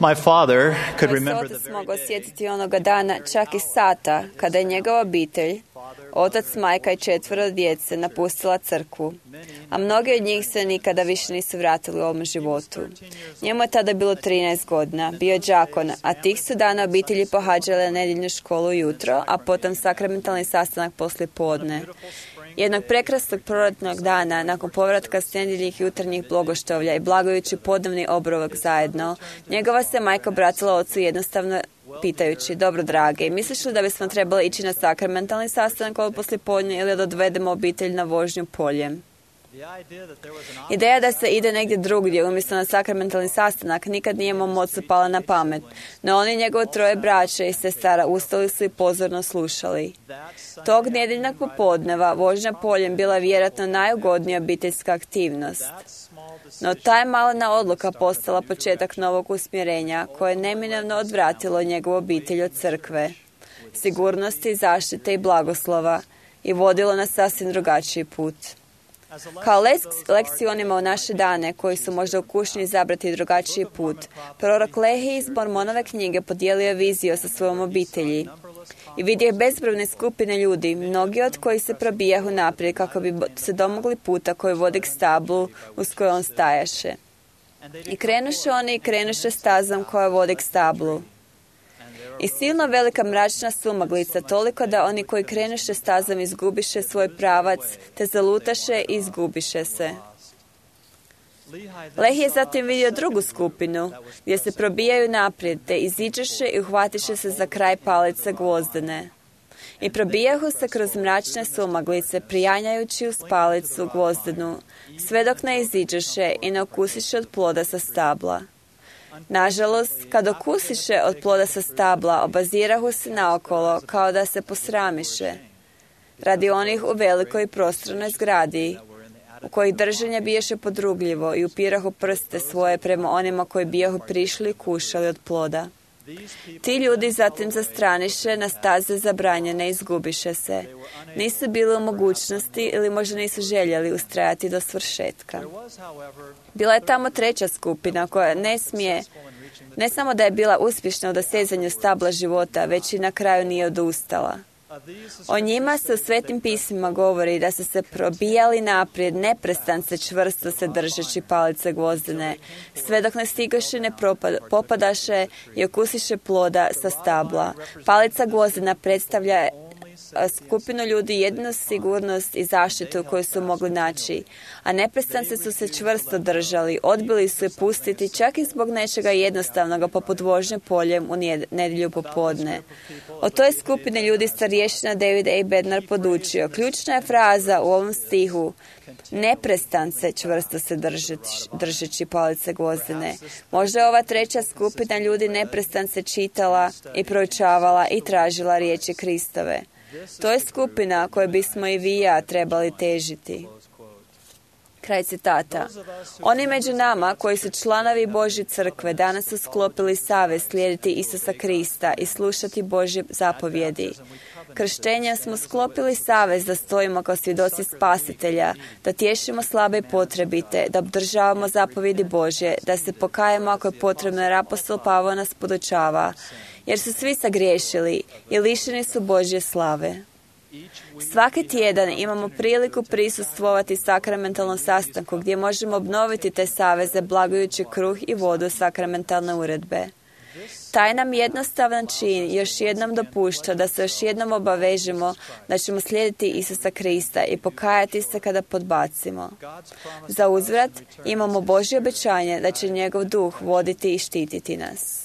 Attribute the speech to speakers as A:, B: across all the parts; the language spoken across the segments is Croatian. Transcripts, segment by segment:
A: My father could
B: Moj
A: remember
B: se
A: the
B: otac
A: very
B: mogao
A: day
B: sjetiti onoga dana, čak i sata, kada je njegova obitelj, otac, majka i 4 djece, napustila crkvu. A mnogi od njih se nikada više nisu vratili u ovom životu. Njemu je tada bilo 13 godina, bio je đakon, a tih su dana obitelji pohađale nedjeljnu školu ujutro, a potom sakramentalni sastanak poslije podne. Jednog prekrasnog proljetnog dana, nakon povratka s nedjeljnih jutarnjih blagoštovlja i blagojući podnevni obrovak zajedno, njegova se majka obratila ocu jednostavno pitajući: dobro drage, misliš li da bismo trebali ići na sakramentalni sastanak ovo poslijepodne ili da odvedemo obitelj na vožnju poljem? Ideja da se ide negdje drugdje umjesto na sakramentalni sastanak nikad nije mom ocu pala na pamet, no oni njegovo 3 braće i sestara ustali su i pozorno slušali. Tog nedjeljnog popodneva vožnja poljem bila je vjerojatno najugodnija obiteljska aktivnost. No ta je malena odluka postala početak novog usmjerenja koje je neminovno odvratilo njegovu obitelj od crkve, sigurnosti, zaštite i blagoslova i vodilo na sasvim drugačiji put. Kao lekciju onima u naše dane koji su možda u kušnji izabrati drugačiji put, prorok Lehi iz Mormonove knjige podijelio je viziju sa svojom obitelji i vidio bezbrojne skupine ljudi, mnogi od kojih se probijahu naprijed kako bi se domogli puta koji vodi k stablu uz koje on stajaše. I krenuše stazom koja vodi k stablu. I silno velika mračna sumaglica, toliko da oni koji krenuše stazom izgubiše svoj pravac, te zalutaše i izgubiše se. Lehi je zatim vidio drugu skupinu, gdje se probijaju naprijed, te iziđeše i uhvatiše se za kraj palice gvozdene. I probijahu se kroz mračne sumaglice, prijanjajući uz palicu gvozdenu, sve dok ne iziđeše i ne okusiše od ploda sa stabla. Nažalost, kad okusiše od ploda sa stabla, obazirahu se naokolo, kao da se posramiše. Radi onih u velikoj prostranoj zgradi, u kojih držanje biješe podrugljivo i upirahu prste svoje prema onima koji bijahu prišli i kušali od ploda. Ti ljudi zatim zastraniše na staze zabranjene i izgubiše se. Nisu bili u mogućnosti ili možda nisu željeli ustrajati do svršetka. Bila je tamo 3. skupina koja ne samo da je bila uspješna u dosezanju stabla života, već i na kraju nije odustala. O njima se u Svetim pismima govori da su se probijali naprijed, neprestance čvrsto se držeći palice gvozdene, sve dok ne stigaše, ne popadaše i okusiše ploda sa stabla. Palica gvozdena predstavlja skupinu ljudi jednu sigurnost i zaštitu koju su mogli naći, a neprestance su se čvrsto držali, odbili su je pustiti čak i zbog nečega jednostavnoga poput vožnje poljem u nedjelju popodne. O toj skupini ljudi starješina David A. Bednar podučio. Ključna je fraza u ovom stihu: neprestance čvrsto se držeći palice gvozdene. Možda je ova 3. skupina ljudi neprestance čitala i proučavala i tražila riječi Kristove. To je skupina kojoj bismo i vi i ja trebali težiti. Kraj citata. Oni među nama koji su članovi Božje crkve danas su sklopili savez slijediti Isusa Krista i slušati Božje zapovjedi. Krštenjem smo sklopili savez da stojimo kao svjedoci Spasitelja, da tješimo slabe i potrebite, da obdržavamo zapovjedi Božje, da se pokajemo ako je potrebno, jer apostol Pavao nas podučava, jer su svi sagriješili i lišeni su Božje slave. Svaki tjedan imamo priliku prisustvovati sakramentalnom sastanku gdje možemo obnoviti te saveze blagujući kruh i vodu sakramentalne uredbe. Taj nam jednostavan čin još jednom dopušta da se još jednom obavežemo da ćemo slijediti Isusa Krista i pokajati se kada podbacimo. Za uzvrat imamo Božje obećanje da će njegov duh voditi i štititi nas.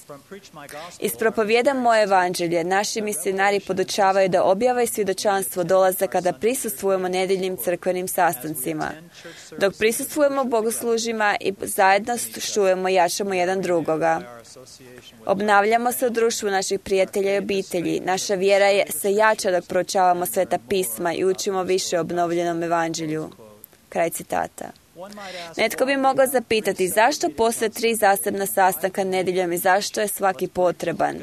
B: Iz propovijedam moje evanđelje, naši misionari podučavaju da objava i svjedočanstvo dolaze kada prisustvujemo nedjeljnim crkvenim sastancima. Dok prisustvujemo bogoslužima i zajedno čujemo i jačamo jedan drugoga. Obnavljamo se u društvu naših prijatelja i obitelji. Naša vjera se jača dok proučavamo Sveta pisma i učimo više o obnovljenom evanđelju. Kraj citata. Netko bi mogao zapitati zašto postoje 3 zasebna sastanka nedjeljom i zašto je svaki potreban.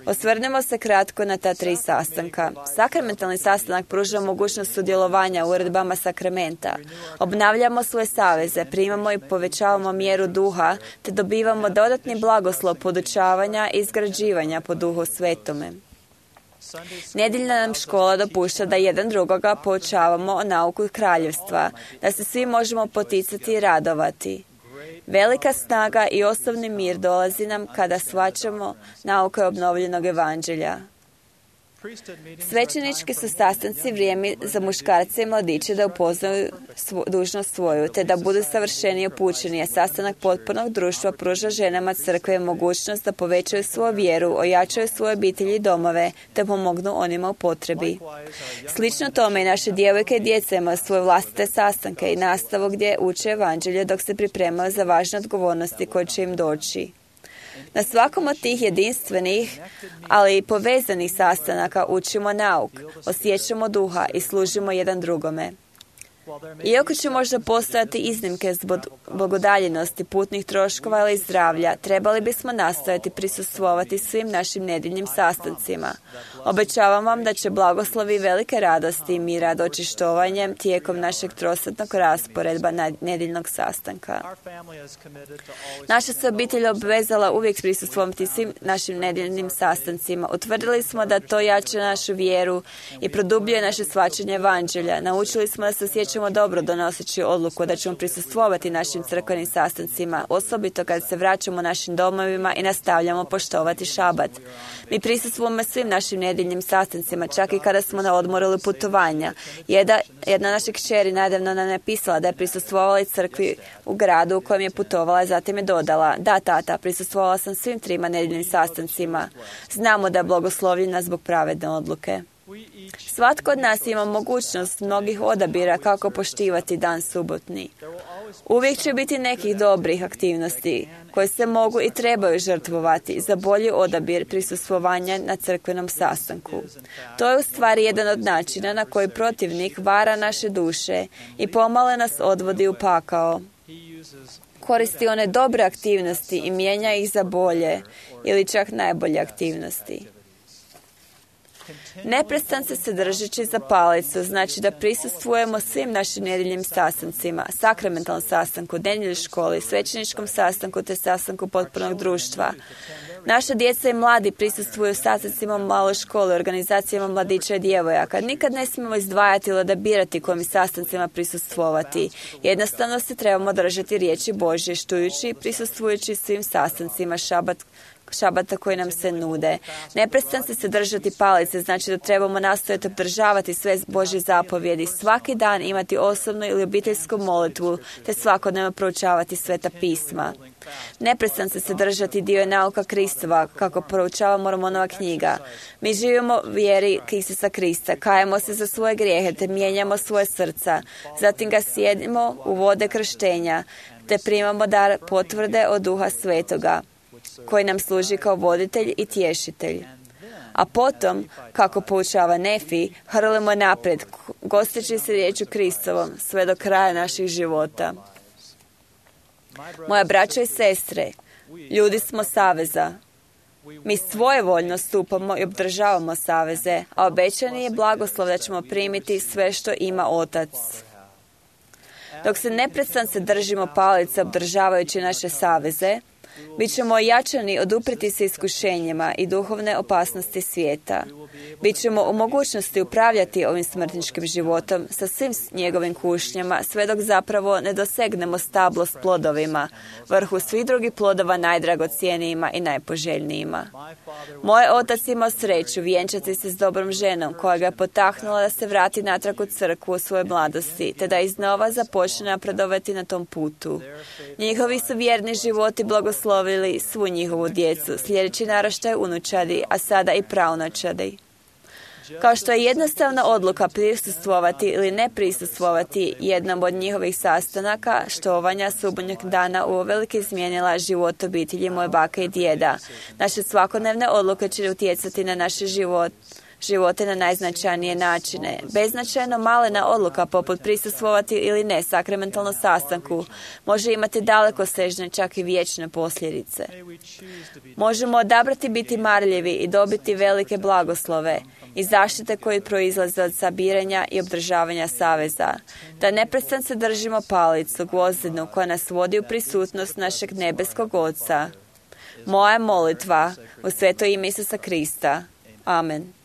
B: Osvrnemo se kratko na ta 3 sastanka. Sakramentalni sastanak pruža mogućnost sudjelovanja u uredbama sakramenta. Obnavljamo svoje saveze, primamo i povećavamo mjeru duha, te dobivamo dodatni blagoslov podučavanja i izgrađivanja po Duhu Svetome. Nedjeljna nam škola dopušta da jedan drugoga poučavamo o nauku kraljevstva, da se svi možemo poticati i radovati. Velika snaga i osobni mir dolazi nam kada shvaćamo nauke obnovljenog evanđelja. Svećenički su sastanci vrijeme za muškarce i mladiće da upoznaju dužnost svoju, te da budu savršeni i upućeni, a sastanak potpunog društva pruža ženama crkve mogućnost da povećaju svoju vjeru, ojačaju svoje obitelji i domove, te pomognu onima u potrebi. Slično tome i naše djevojke i djeca imaju svoje vlastite sastanke i nastavu gdje uče evanđelje dok se pripremaju za važne odgovornosti koje će im doći. Na svakom od tih jedinstvenih, ali i povezanih sastanaka učimo nauk, osjećamo duha i služimo jedan drugome. Iako će možda postojati iznimke zbog udaljenosti, putnih troškova ili zdravlja, trebali bismo nastojati prisustvovati svim našim nedjeljnim sastancima. Obećavam vam da će blagoslovi velike radosti i mira doći štovanjem tijekom našeg trosatnog rasporedba nedjeljnog sastanka. Naša se obitelj obvezala uvijek prisustvovati svim našim nedjeljnim sastancima. Utvrdili smo da to jača našu vjeru i produbljuje naše shvaćanje evanđelja. Naučili smo da se osjećamo dobro donoseći odluku da ćemo prisustvovati našim crkvenim sastancima, osobito kad se vraćamo našim domovima i nastavljamo poštovati šabat. Mi prisustvujemo svim našim nedjeljnim sastancima, čak i kada smo na odmoru ili putovanja. Jedna naša kćeri nedavno nam je pisala da je prisustvovala crkvi u gradu u kojem je putovala, zatim je dodala: da, tata, prisustvovala sam svim 3 nedjeljnim sastancima. Znamo da je blagoslovljena zbog pravedne odluke. Svatko od nas ima mogućnost mnogih odabira kako poštivati dan subotni. Uvijek će biti nekih dobrih aktivnosti koje se mogu i trebaju žrtvovati za bolji odabir prisustvovanja na crkvenom sastanku. To je u stvari jedan od načina na koji protivnik vara naše duše i pomalo nas odvodi u pakao. Koristi one dobre aktivnosti i mijenja ih za bolje ili čak najbolje aktivnosti. Neprestanno se držeći za palicu znači da prisustvujemo svim našim nedjeljnim sastancima, sakramentalnom sastanku, nedjeljnoj školi, svećeničkom sastanku te sastanku potpunog društva. Naša djeca i mladi prisustvuju sastancima u maloj školi, organizacijama mladića i djevojaka. Nikad ne smijemo izdvajati ili odabirati kojim sastancima prisustvovati. Jednostavno se trebamo držati riječi Božje, štujući i prisustvujući svim sastancima šabata koji nam se nude. Neprestano se držati palice, znači da trebamo nastojati obdržavati sve Božje zapovjedi, svaki dan imati osobnu ili obiteljsku molitvu, te svakodnevno proučavati sveta pisma. Neprestano se držati dio nauka Kristova, kako proučava Mormonova knjiga. Mi živimo u vjeri Isusa Krista, kajemo se za svoje grijehe, te mijenjamo svoje srca. Zatim ga sjedimo u vode krštenja, te primamo dar potvrde od Duha Svetoga, koji nam služi kao voditelj i tješitelj. A potom, kako poučava Nefi, hrlimo naprijed, gosteći se riječu Kristovom, sve do kraja naših života. Moja braćo i sestre, ljudi smo saveza. Mi svojevoljno stupamo i obdržavamo saveze, a obećani je blagoslov da ćemo primiti sve što ima Otac. Dok se neprestano se držimo palice obdržavajući naše saveze, bit ćemo ojačani odupriti se iskušenjima i duhovne opasnosti svijeta. Bićemo u mogućnosti upravljati ovim smrtničkim životom sa svim njegovim kušnjama, sve dok zapravo ne dosegnemo stablo s plodovima, vrhu svih drugih plodova najdragocjenijima i najpoželjnijima. Moj otac imao sreću vjenčati se s dobrom ženom koja ga je potaknula da se vrati natrag u crkvu u svojoj mladosti, te da iznova započne napredovati na tom putu. Njihovi su vjerni životi blagoslovili svu njihovu djecu, sljedeći naraštaj unučadi, a sada i praunučadi. Kao što je jednostavna odluka prisustvovati ili ne prisustvovati jednom od njihovih sastanaka, štovanja subotnjeg dana uvelike izmijenila život obitelji moje bake i djeda. Naše svakodnevne odluke će utjecati na naše živote na najznačajnije načine. Beznačajno malena odluka poput prisustvovati ili ne sakramentalnom sastanku može imati dalekosežne, čak i vječne posljedice. Možemo odabrati biti marljivi i dobiti velike blagoslove i zaštite koje proizlaze od sabiranja i obdržavanja saveza. Da neprestano se držimo palicu, gvozdenu, koja nas vodi u prisutnost našeg nebeskog Oca. Moja molitva u sveto ime Isusa Krista. Amen.